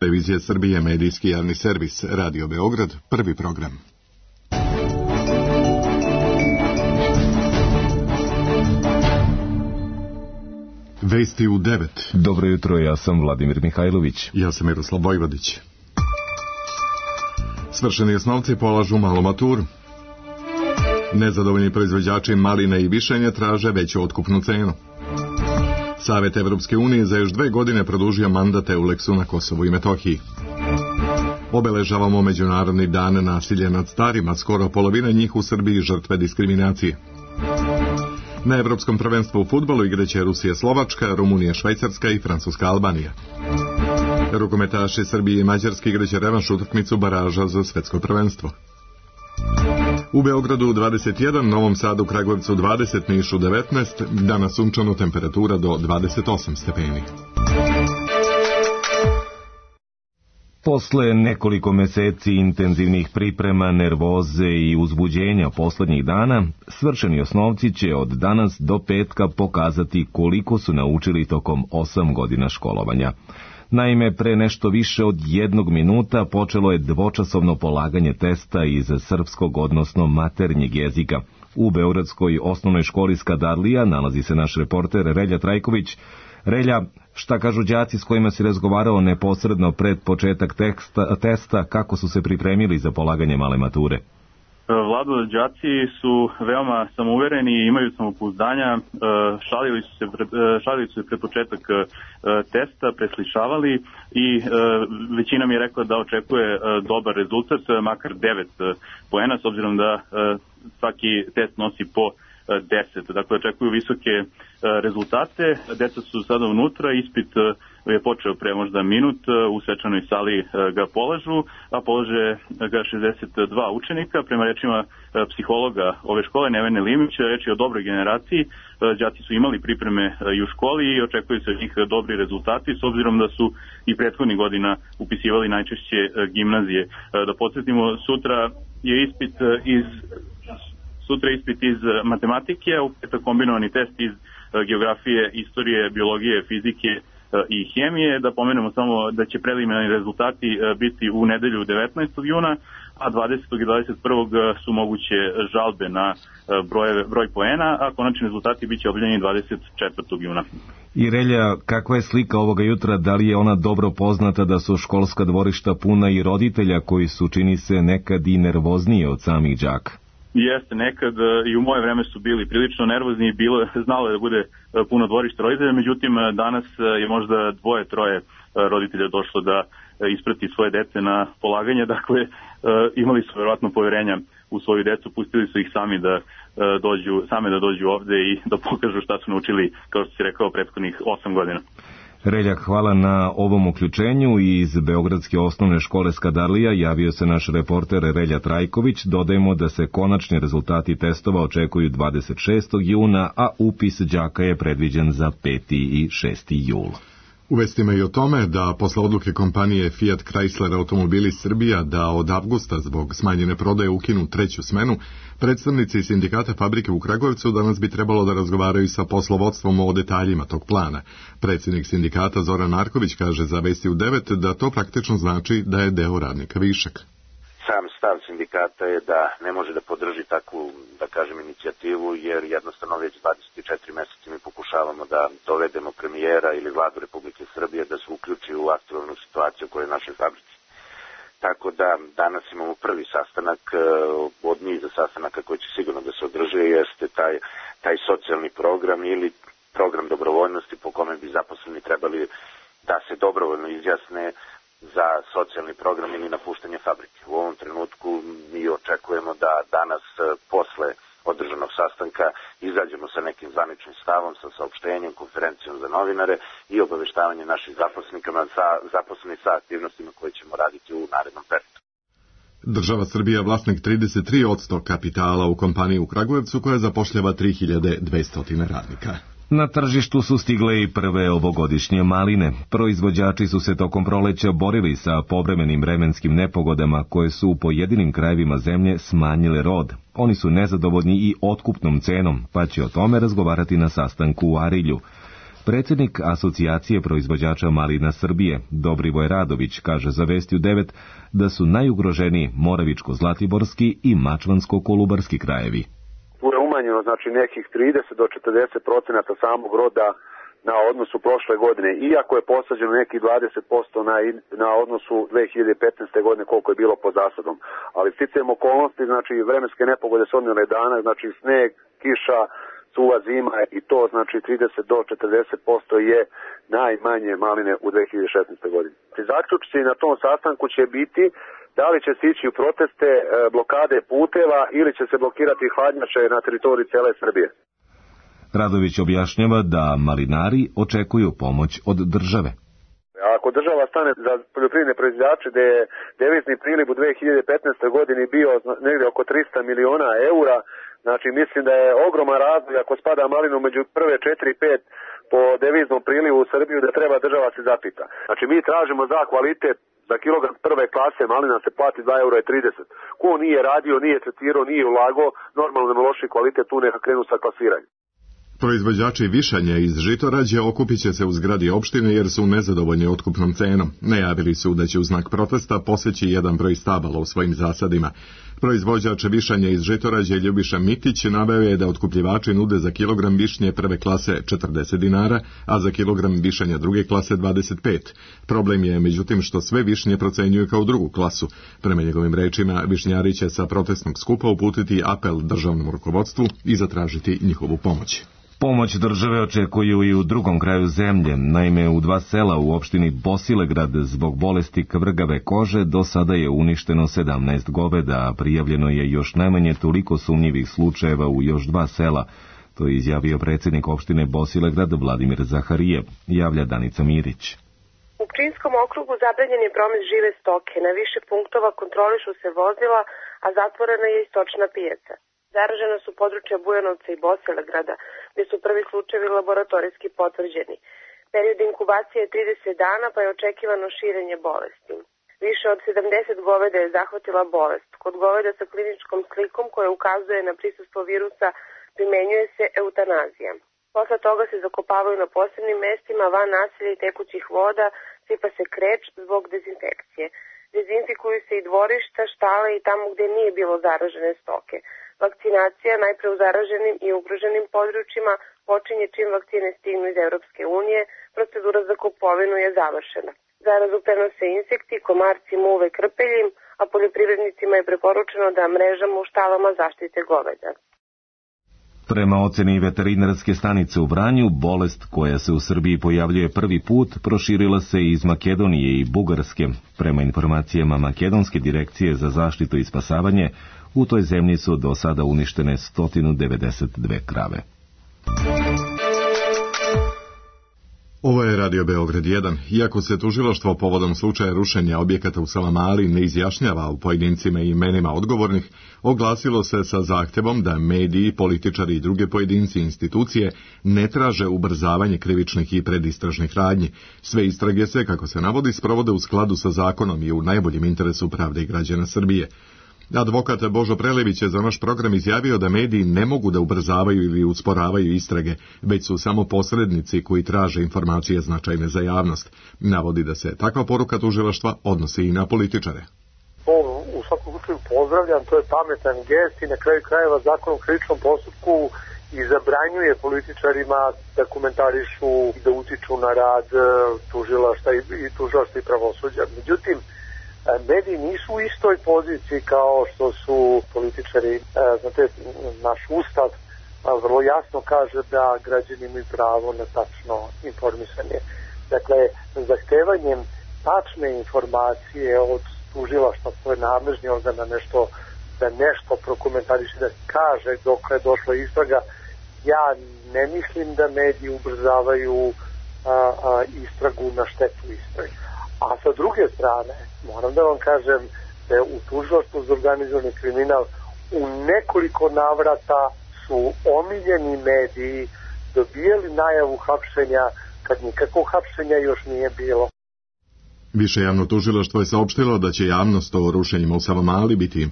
Televizija Srbije, medijski javni servis, Radio Beograd, prvi program. Vesti u 9. Dobro jutro, ja sam Vladimir Mihajlović. Ja sam Miroslav Vojvodić. Svršeni osnovci polažu malu maturu. Nezadovoljni proizvođači maline i višenja traže veću otkupnu cenu. Savet Evropske unije za još 2 godine produžio mandat EULEX-u na Kosovu i Metohiji. Obeležavamo Međunarodni dan nasilja nad starima, skoro polovina njih u Srbiji žrtve diskriminacije. Na Evropskom prvenstvu u fudbalu igraće Rusija Slovačka, Rumunija Švajcarska i Francuska Albanija. Rukometaši Srbije i Mađarske igraće revanš utakmicu baraža za svetsko prvenstvo. U Beogradu 21, Novom Sadu, Kragujevcu 20, Nišu 19, danas sunčano, temperatura do 28 stepeni. Posle nekoliko meseci intenzivnih priprema, nervoze i uzbuđenja poslednjih dana, svršeni osnovci će od danas do petka pokazati koliko su naučili tokom 8 godina školovanja. Naime, pre nešto više od 1 minuta počelo je dvočasovno polaganje testa iz srpskog, odnosno maternjeg jezika. U Beogradskoj osnovnoj školi Skadarlija nalazi se naš reporter Relja Trajković. Relja, šta kažu đaci s kojima si razgovarao neposredno pred početak testa, kako su se pripremili za polaganje male mature? Vlado, đaci su veoma samouvereni i imaju samopouzdanja, šalili su se pred početak testa, preslišavali i većina mi je rekla da očekuje dobar rezultat, makar 9 poena, s obzirom da svaki test nosi po 10. Dakle, očekuju visoke rezultate. Deca su sada unutra, ispit je počeo pre možda minut, u svečanoj sali ga polažu, a polaže ga 62 učenika. Prema rečima psihologa ove škole, Nevene Limića, reč je o dobroj generaciji. Đaci su imali pripreme i u školi i očekuju se od njih dobri rezultati, s obzirom da su i prethodnih godina upisivali najčešće gimnazije. Da podsjetimo, sutra je ispit iz matematike, a u petak kombinovani test iz geografije, istorije, biologije, fizike i hemije. Da pomenemo samo da će preliminarni rezultati biti u nedelju 19. juna, a 20. i 21. su moguće žalbe na broj poena, a konačni rezultati biće objavljeni 24. juna. I Relja, kakva je slika ovoga jutra? Da li je ona dobro poznata da su školska dvorišta puna i roditelja koji su, čini se, nekad i nervozniji od samih đaka? Jeste, nekad i u moje vreme su bili prilično nervozni i znalo je da bude puno dvorišta roditelja, međutim danas je možda 2-3 roditelja došlo da isprati svoje dece na polaganje, dakle imali su verovatno poverenja u svoju decu, pustili su ih same da dođu ovde i da pokažu šta su naučili, kao što si rekao, prethodnih 8 godina. Reljak, hvala na ovom uključenju. Iz Beogradske osnovne škole Skadarlija javio se naš reporter Relja Trajković. Dodajemo da se konačni rezultati testova očekuju 26. juna, a upis đaka je predviđen za 5. i 6. jul. U vestima i o tome da posle odluke kompanije Fiat Chrysler Automobili Srbija da od avgusta zbog smanjene prodaje ukinu 3. smenu, predstavnici sindikata fabrike u Kragujevcu danas bi trebalo da razgovaraju sa poslovodstvom o detaljima tog plana. Predsjednik sindikata Zoran Marković kaže za Vesti u 9 da to praktično znači da je deo radnika višak. Sam stav sindikata je da ne može da podrži takvu, da kažem, inicijativu, jer jednostavno već 24 meseca mi pokušavamo da dovedemo premijera ili vladu Republike Srbije da se uključi u aktualnu situaciju koja je u našoj fabrici. Tako da danas imamo prvi sastanak od niza sastanaka koji će sigurno da se održe, jeste taj socijalni program ili program dobrovoljnosti po kome bi zaposleni trebali da se dobrovoljno izjasne za socijalni program ili napuštanje fabrike. U ovom trenutku mi očekujemo da danas posle održanog sastanka izađemo sa nekim zvaničnim stavom, sa saopštenjem, konferencijom za novinare i obaveštavanje naših zaposlenih sa aktivnostima koje ćemo raditi u narednom periodu. Država Srbija vlasnik 33% kapitala u kompaniji u Kragujevcu koja zapošljava 3200 radnika. Na tržištu su stigle i prve ovogodišnje maline. Proizvođači su se tokom proleća borili sa povremenim vremenskim nepogodama koje su u pojedinim krajevima zemlje smanjile rod. Oni su nezadovoljni i otkupnom cenom, pa će o tome razgovarati na sastanku u Arilju. Predsjednik Asocijacije proizvođača malina Srbije, Dobrivoje Radović, kaže za Vesti u 9 da su najugroženiji Moravičko-Zlatiborski i Mačvansko-Kolubarski krajevi. Tu je umanjeno znači nekih 30 do 40% samog roda na odnosu prošle godine, iako je posađeno nekih 20% na odnosu 2015. godine koliko je bilo po zasadom. Ali sticajem okolnosti, znači vremenske nepogode s odnjene dana, znači sneg, kiša, suva zima i to znači 30 do 40% je najmanje maline u 2016. godini. Zaključci na tom sastanku će biti da li će se ići u proteste, blokade puteva ili će se blokirati hladnjače na teritoriji cele Srbije. Radović objašnjava da malinari očekuju pomoć od države. Ako država stane za poljoprivredne proizvođače da je devizni priliv u 2015. godini bio negdje oko 300 miliona eura, znači mislim da je ogroman razlog ako spada malinu među prve 4-5 po deviznom prilivu u Srbiju da treba država se zapita. Znači mi tražimo za kvalitet, za kilogram prve klase malina se plati 2,30 eura. Ko nije radio, nije tretirao, nije ulagao, normalno da loši kvalitet tu neka krenu sa klasiranjem. Proizvođači višanja iz Žitorađe okupit će se u zgradi opštine jer su nezadovoljni otkupnom cenom. Najavili su da će u znak protesta poseći jedan broj stabala u svojim zasadima. Proizvođač višanja iz Žitorađe Ljubiša Mitić naveo je da otkupljivači nude za kilogram višnje prve klase 40 dinara, a za kilogram višanja druge klase 25. Problem je međutim što sve višnje procenjuju kao drugu klasu. Prema njegovim rečima, višnjari će sa protestnog skupa uputiti apel državnom rukovodstvu i zatražiti njihovu pomoć. Pomoć države očekuju i u drugom kraju zemlje. Naime, u 2 sela u opštini Bosilegrad zbog bolesti kvrgave kože do sada je uništeno 17 goveda, a prijavljeno je još najmanje toliko sumnjivih slučajeva u još 2 sela. To je izjavio predsjednik opštine Bosilegrad Vladimir Zaharijev, javlja Danica Mirić. U Pčinjskom okrugu zabranjen je promet žive stoke. Na više punktova kontrolišu se vozila, a zatvorena je i stočna pijaca. Zaražena su područja Bujanovca i Bosilegrada, gdje su prvi slučajevi laboratorijski potvrđeni. Period inkubacije je 30 dana, pa je očekivano širenje bolesti. Više od 70 goveda je zahvatila bolest. Kod goveda sa kliničkom slikom koja ukazuje na prisustvo virusa primenjuje se eutanazija. Posle toga se zakopavaju na posebnim mestima van naselja i tekućih voda, sipa se kreč zbog dezinfekcije. Dezinfikuju se i dvorišta, štale i tamo gdje nije bilo zaražene stoke. Vakcinacija najpre u zaraženim i ugroženim područjima počinje čim vakcine stignu iz Europske unije, procedura za kupovinu je završena. Zarazu prenose insekti, komarci, muve, krpelji, a poljoprivrednicima je preporučeno da mrežama u štalama zaštite goveda. Prema oceni veterinarske stanice u Vranju, bolest koja se u Srbiji pojavljuje prvi put proširila se iz Makedonije i Bugarske. Prema informacijama Makedonske direkcije za zaštitu i spasavanje, u toj zemlji su do sada uništene 192 krave. Ovo je Radio Beograd 1. Iako se tužilaštvo povodom slučaja rušenja objekata u Savamali ne izjašnjava o pojedincima i imenima odgovornih, oglasilo se sa zahtjevom da mediji, političari i druge pojedinci i institucije ne traže ubrzavanje krivičnih i predistražnih radnji. Sve istrage se, kako se navodi, sprovode u skladu sa zakonom i u najboljem interesu pravde i građana Srbije. Advokat Božo Prelević je za naš program izjavio da mediji ne mogu da ubrzavaju ili usporavaju istrage, već su samo posrednici koji traže informacije značajne za javnost. Navodi da se takva poruka tužilaštva odnosi i na političare. To u svakom slučaju pozdravljam, to je pametan gest i na kraju krajeva zakon o krivičnom postupku i zabranjuje političarima da komentarišu i da utiču na rad tužilaštva i pravosuđa. Međutim, mediji nisu u istoj poziciji kao što su političari. Znate, naš ustav vrlo jasno kaže da građani imaju pravo na tačno informisanje. Dakle, zahtevanjem tačne informacije od tužilaštva, to je nadležni organ da nešto prokomentariše, da kaže dok je došla istraga, ja ne mislim da mediji ubrzavaju istragu na štetu istrage. A sa druge strane, moram da vam kažem da je u tužilaštvu za organizovani kriminal u nekoliko navrata su omiljeni mediji dobijali najavu hapšenja kad nikakvog hapšenja još nije bilo. Više javno tužilaštvo je saopštilo da će javnost o rušenjima u Savamali biti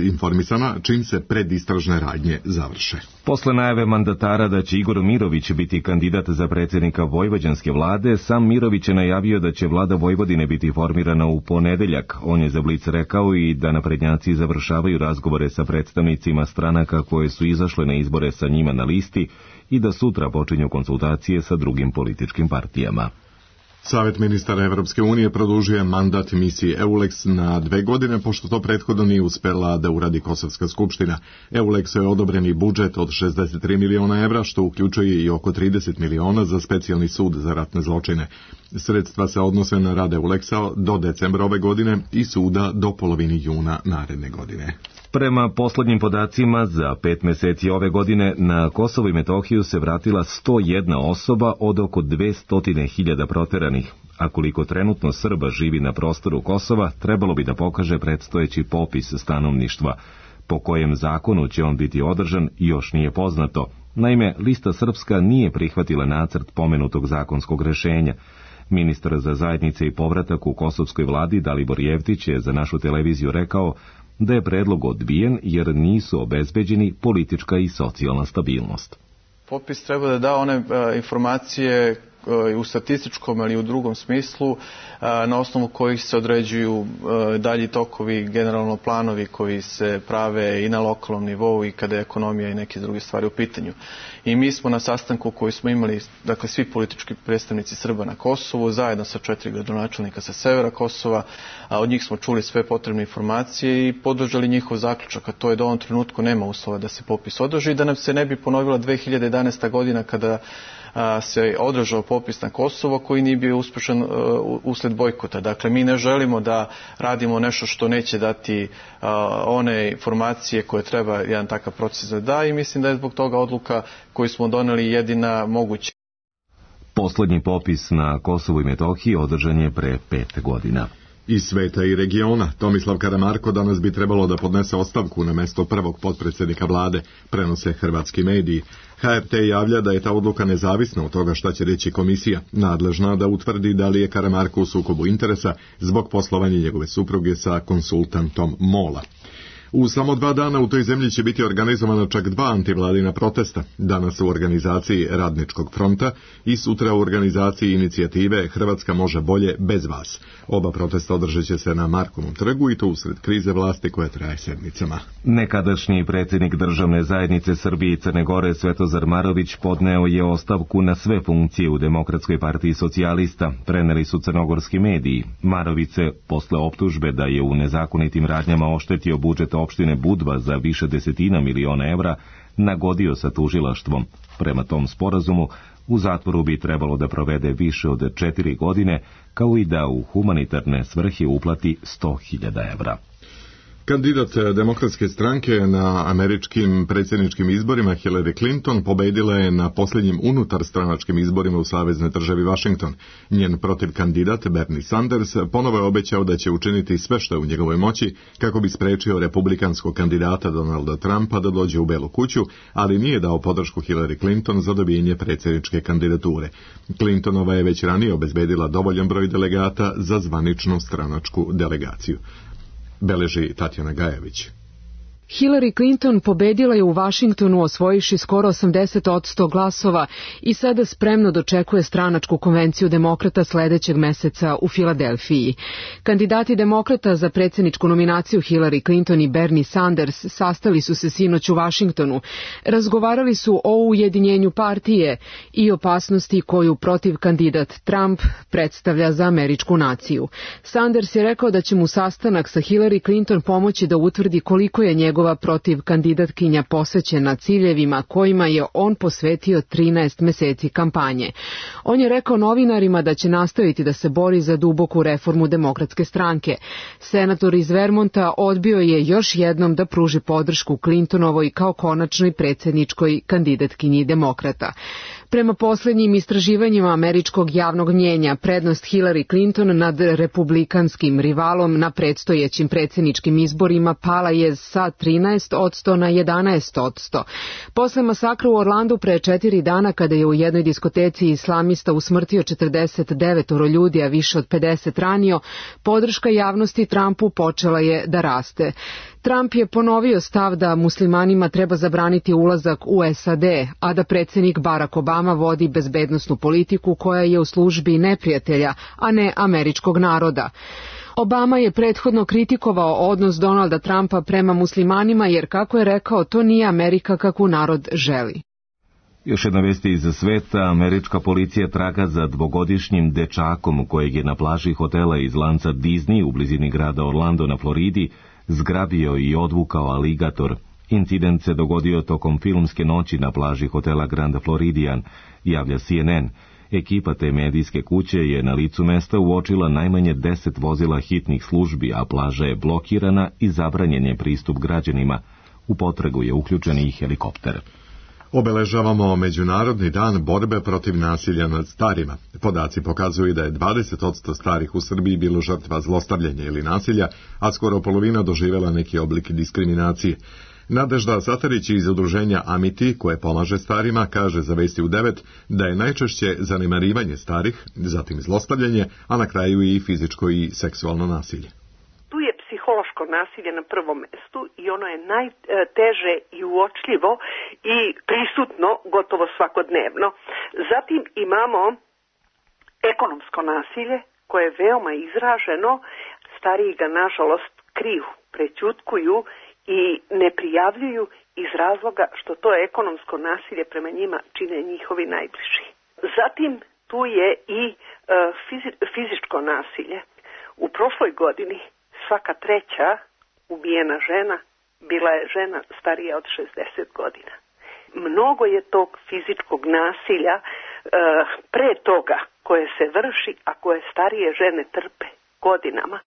informisana čim se predistražne radnje završe. Posle najave mandatara da će Igor Mirović biti kandidat za predsjednika vojvođanske vlade, sam Mirović je najavio da će vlada Vojvodine biti formirana u ponedeljak. On je za Blic rekao i da naprednjaci završavaju razgovore sa predstavnicima stranaka koje su izašle na izbore sa njima na listi i da sutra počinju konsultacije sa drugim političkim partijama. Savet ministara Evropske unije produžuje mandat misiji EULEX na 2 godine, pošto to prethodno nije uspela da uradi Kosovska skupština. EULEX-u je odobreni budžet od 63 miliona evra, što uključuje i oko 30 miliona za specijalni sud za ratne zločine. Sredstva se odnose na rad EULEX-a do decembra ove godine i suda do polovini juna naredne godine. Prema poslednjim podacima, za 5 meseci ove godine na Kosovo i Metohiju se vratila 101 osoba od oko 200.000 proteranih, a koliko trenutno Srba živi na prostoru Kosova, trebalo bi da pokaže predstojeći popis stanovništva. Po kojem zakonu će on biti održan još nije poznato. Naime, lista srpska nije prihvatila nacrt pomenutog zakonskog rešenja. Ministar za zajednice i povratak u kosovskoj vladi Dalibor Jevtić je za našu televiziju rekao da je predlog odbijen jer nisu obezbeđeni politička i socijalna stabilnost. Popis treba da da one informacije u statističkom ili u drugom smislu na osnovu kojih se određuju dalji tokovi, generalno planovi koji se prave i na lokalnom nivou i kada je ekonomija i neke druge stvari u pitanju. I mi smo na sastanku koji smo imali, dakle svi politički predstavnici Srba na Kosovu, zajedno sa 4 gradonačelnika sa severa Kosova, a od njih smo čuli sve potrebne informacije i podržali njihov zaključak, a to je da u ovom trenutku nema uslova da se popis održi i da nam se ne bi ponovila 2011. godina kada se održao popis na Kosovo koji nije bio uspešan usled bojkota. Dakle, mi ne želimo da radimo nešto što neće dati one informacije koje treba jedan takav proces da da i mislim da je zbog toga odluka koju smo doneli jedina moguća. Poslednji popis na Kosovu i Metohiji održan je pre 5 godina. Iz sveta i regiona, Tomislav Karamarko danas bi trebalo da podnese ostavku na mesto prvog potpredsjednika vlade, prenose hrvatski mediji. HRT javlja da je ta odluka nezavisna od toga šta će reći komisija, nadležna da utvrdi da li je Karamarko u sukobu interesa zbog poslovanja njegove supruge sa konsultantom MOL-a. U samo 2 dana u toj zemlji će biti organizovana čak 2 antivladina protesta, danas u organizaciji Radničkog fronta i sutra u organizaciji inicijative Hrvatska može bolje bez vas. Oba protesta održat će se na Markovom trgu i to usred krize vlasti koja traje sedmicama. Nekadašnji predsjednik državne zajednice Srbije i Crne Gore Svetozar Marović podneo je ostavku na sve funkcije u Demokratskoj partiji socijalista, preneli su crnogorski mediji. Marović se, posle optužbe da je u nezakonitim radnjama oštetio budžet opštine Budva za više desetina miliona evra, nagodio sa tužilaštvom. Prema tom sporazumu, u zatvoru bi trebalo da provede više od 4 godine, kao i da u humanitarne svrhe uplati 100.000 evra. Kandidat Demokratske stranke na američkim predsjedničkim izborima Hillary Clinton pobedila je na posljednjim unutarstranačkim izborima u saveznoj državi Washington. Njen protivkandidat Bernie Sanders ponovo je obećao da će učiniti sve što je u njegovoj moći kako bi sprečio republikanskog kandidata Donalda Trumpa da dođe u Belu kuću, ali nije dao podršku Hillary Clinton za dobijenje predsjedničke kandidature. Clintonova je već ranije obezbedila dovoljan broj delegata za zvaničnu stranačku delegaciju. Beleži Tatjana Gajević. Hillary Clinton pobedila je u Vašingtonu osvojivši skoro 80% glasova i sada spremno dočekuje stranačku konvenciju demokrata sledećeg meseca u Filadelfiji. Kandidati demokrata za predsjedničku nominaciju Hillary Clinton i Bernie Sanders sastali su se sinoć u Vašingtonu. Razgovarali su o ujedinjenju partije i opasnosti koju protiv kandidat Trump predstavlja za američku naciju. Sanders je rekao da će mu sastanak sa Hillary Clinton pomoći da utvrdi koliko je njegova protiv kandidatkinja posvećena ciljevima kojima je on posvetio 13 meseci kampanje. On je rekao novinarima da će nastaviti da se bori za duboku reformu Demokratske stranke. Senator iz Vermonta odbio je još jednom da pruži podršku Clintonovoj kao konačnoj predsjedničkoj kandidatkinji demokrata. Prema poslednjim istraživanjima američkog javnog mnjenja, prednost Hillary Clinton nad republikanskim rivalom na predstojećim predsjedničkim izborima pala je sa 13% na 11%. Posle masakra u Orlandu pre 4 dana, kada je u jednoj diskoteci islamista usmrtio 49 ljudi, a više od 50 ranio, podrška javnosti Trumpu počela je da raste. Trump je ponovio stav da muslimanima treba zabraniti ulazak u SAD, a da predsjednik Barack Obama vodi bezbednosnu politiku koja je u službi neprijatelja, a ne američkog naroda. Obama je prethodno kritikovao odnos Donalda Trumpa prema muslimanima jer, kako je rekao, to nije Amerika kakvu narod želi. Još jedna vesti iz sveta, američka policija traga za 2-godišnjim dečakom kojeg je na plaži hotela iz lanca Disney u blizini grada Orlando na Floridi zgrabio i odvukao aligator. Incident se dogodio tokom filmske noći na plaži hotela Grand Floridian, javlja CNN. Ekipa te medijske kuće je na licu mesta uočila najmanje 10 vozila hitnih službi, a plaža je blokirana i zabranjen je pristup građanima. U potragu je uključen i helikopter. Obeležavamo Međunarodni dan borbe protiv nasilja nad starima. Podaci pokazuju da je 20% starih u Srbiji bilo žrtva zlostavljanja ili nasilja, a skoro polovina doživjela neki oblik diskriminacije. Nadežda Satarić iz udruženja Amiti, koje pomaže starima, kaže za Vesti u 9 da je najčešće zanemarivanje starih, zatim zlostavljanje, a na kraju i fizičko i seksualno nasilje. Tu je psihološko nasilje na prvom mestu i ono je najteže i uočljivo i prisutno gotovo svakodnevno. Zatim imamo ekonomsko nasilje koje je veoma izraženo, stariji ga nažalost kriju, prećutkuju i ne prijavljuju iz razloga što to ekonomsko nasilje prema njima čine njihovi najbliži. Zatim tu je i fizičko nasilje. U prošloj godini svaka treća ubijena žena bila je žena starija od 60 godina. Mnogo je tog fizičkog nasilja pre toga koje se vrši, a koje starije žene trpe godinama.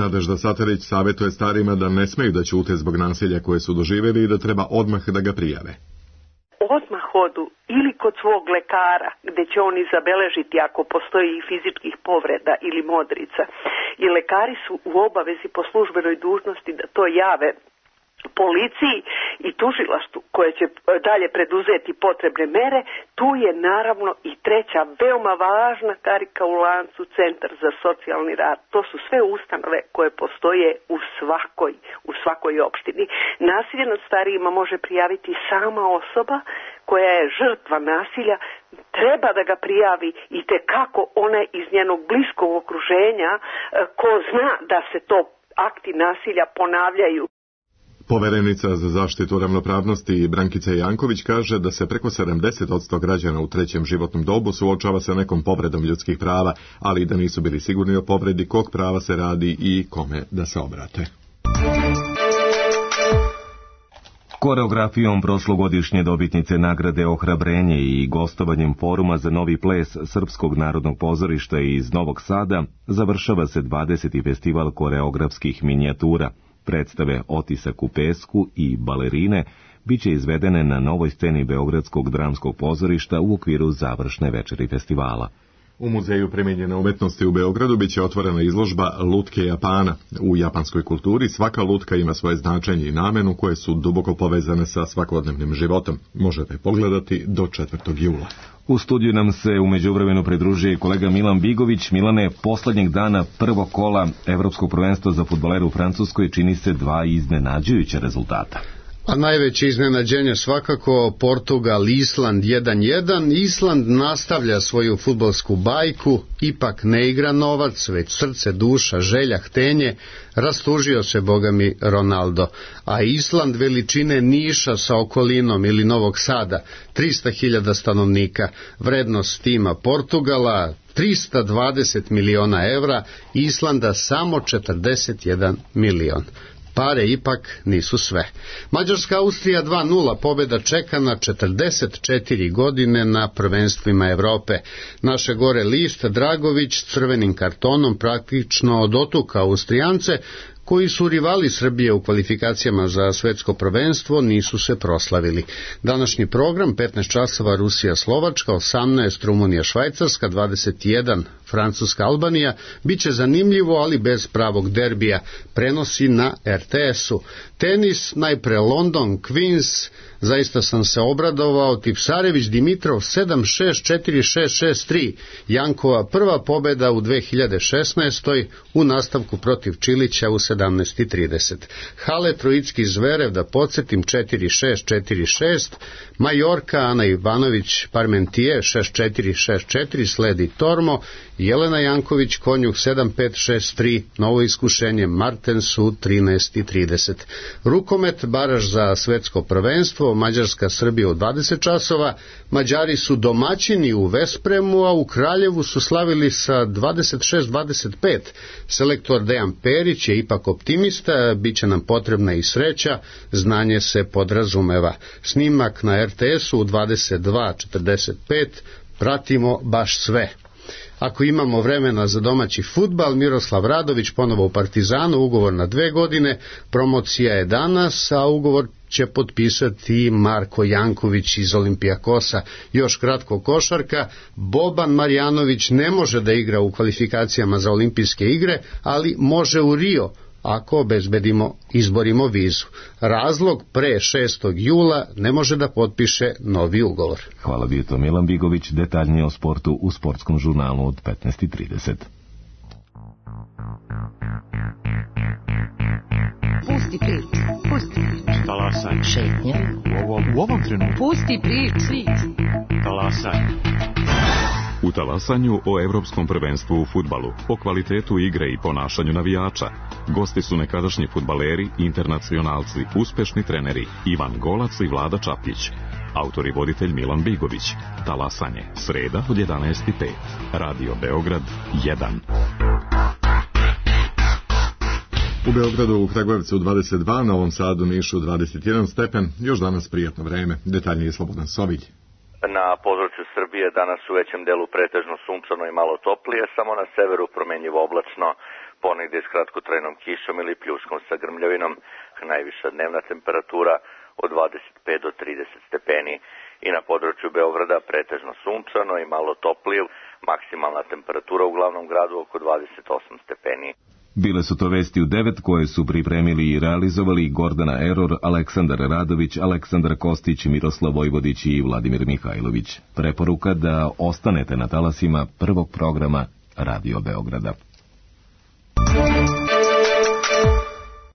Nadežda Satarić savjetuje starima da ne smeju da ćute zbog nasilja koje su doživjeli i da treba odmah da ga prijave. Odmah odu ili kod svog lekara, gdje će oni zabeležiti ako postoji i fizičkih povreda ili modrica. I lekari su u obavezi po službenoj dužnosti da to jave policiji i tužilaštvu koje će dalje preduzeti potrebne mere. Tu je naravno i treća veoma važna karika u lancu, Centar za socijalni rad. To su sve ustanove koje postoje u svakoj opštini. Nasilje nad starijima može prijaviti sama osoba koja je žrtva nasilja, treba da ga prijavi i tekako ona iz njenog bliskog okruženja ko zna da se to akti nasilja ponavljaju. Poverenica za zaštitu ravnopravnosti Brankica Janković kaže da se preko 70% građana u trećem životnom dobu suočava sa nekom povredom ljudskih prava, ali da nisu bili sigurni o povredi kog prava se radi i kome da se obrate. Koreografijom prošlogodišnje dobitnice nagrade Ohrabrenje i gostovanjem foruma za novi ples Srpskog narodnog pozorišta iz Novog Sada završava se 20. festival koreografskih minijatura. Predstave Otisak u pesku i Balerine biće izvedene na novoj sceni Beogradskog dramskog pozorišta u okviru završne večeri festivala. U Muzeju primijenjene umetnosti u Beogradu biće otvorena izložba Lutke Japana. U japanskoj kulturi svaka lutka ima svoje značenje i namenu koje su duboko povezane sa svakodnevnim životom. Možete pogledati do 4. jula. U studiju nam se u međuvremenu pridružuje kolega Milan Bigović. Milane, poslednjeg dana prvog kola Evropskog prvenstva za fudbalere u Francuskoj čini se 2 iznenađujuća rezultata. A najveće iznenađenje svakako Portugal, Island 1-1. Island nastavlja svoju fudbalsku bajku, ipak ne igra novac, već srce, duša, želja, htenje, rastužio se bogami Ronaldo. A Island veličine Niša sa okolinom ili Novog Sada, 300.000 stanovnika, vrednost tima Portugala 320 miliona evra, Islanda samo 41 milion. Pare ipak nisu sve. Mađarska-Austrija 2-0, pobjeda čeka na 44 godine na prvenstvima Evrope. Naše gore list Dragović crvenim kartonom praktično dotuka Austrijance, koji su rivali Srbije u kvalifikacijama za svetsko prvenstvo, nisu se proslavili. Današnji program 15 časova Rusija-Slovačka, 18 Rumunija-Švajcarska, 21 Francuska-Albanija, bit će zanimljivo, ali bez pravog derbija, prenosi na RTS-u. Tenis, najpre London, Queens, zaista sam se obradovao, Tipsarević Dimitrov 7-6, 4-6, 6-3, Jankova prva pobeda u 2016. u nastavku protiv Čilića u 17:30. Hale Trojicki Zverev, da podsjetim, 4-6, 4-6, Majorka, Ana Ivanović Parmentije 6-4, 6-4, sledi Tormo, Jelena Janković Konjuh 7-5, 6-3, novo iskušenje Martensu 13:30. Rukomet, baraž za svetsko prvenstvo, Mađarska Srbija u 20 časova, Mađari su domaćini u Vespremu, a u Kraljevu su slavili sa 26-25. Selektor Dejan Perić je ipak optimista, bit će nam potrebna i sreća, znanje se podrazumeva. Snimak na RTS-u u 22:45, pratimo baš sve. Ako imamo vremena za domaći fudbal, Miroslav Radović ponovo u Partizanu, ugovor na 2 godine, promocija je danas, a ugovor će potpisati Marko Janković iz Olimpijakosa. Još kratko košarka, Boban Marjanović ne može da igra u kvalifikacijama za olimpijske igre, ali može u Rio, ako izborimo vizu. Razlog, pre 6. jula ne može da potpiše novi ugovor. Hvala, bio to Milan Bigović, detaljnije o sportu u sportskom žurnalu od 15:30. Pusti priču, pusti priču. Talasaj. Šetnja. U ovom trenutku. Pusti priču. Talasaj. U talasanju o Evropskom prvenstvu u fudbalu, o kvalitetu igre i ponašanju navijača. Gosti su nekadašnji fudbaleri, internacionalci, uspešni treneri Ivan Golac i Vlada Čapić. Autor i voditelj Milan Bigović. Talasanje, sreda od 11:05. Radio Beograd 1. U Beogradu, u Kragujevcu 22, Novom Sadu, Nišu 21 stepen, još danas prijatno vreme, detaljnije Slobodan Sovilj. Na području Srbije danas u većem delu pretežno sunčano i malo toplije, samo na severu promenljivo oblačno, ponegde s kratkotrajnom kišom ili pljuskom sa grmljavinom, najviša dnevna temperatura od 25 do 30 stepeni. I na području Beograda pretežno sunčano i malo toplije, maksimalna temperatura u glavnom gradu oko 28 stepeni. Bile su to vesti u 9 koje su pripremili i realizovali Gordana Eror, Aleksandar Radović, Aleksandar Kostić, Miroslav Vojvodić i Vladimir Mihajlović. Preporuka da ostanete na talasima prvog programa Radio Beograda.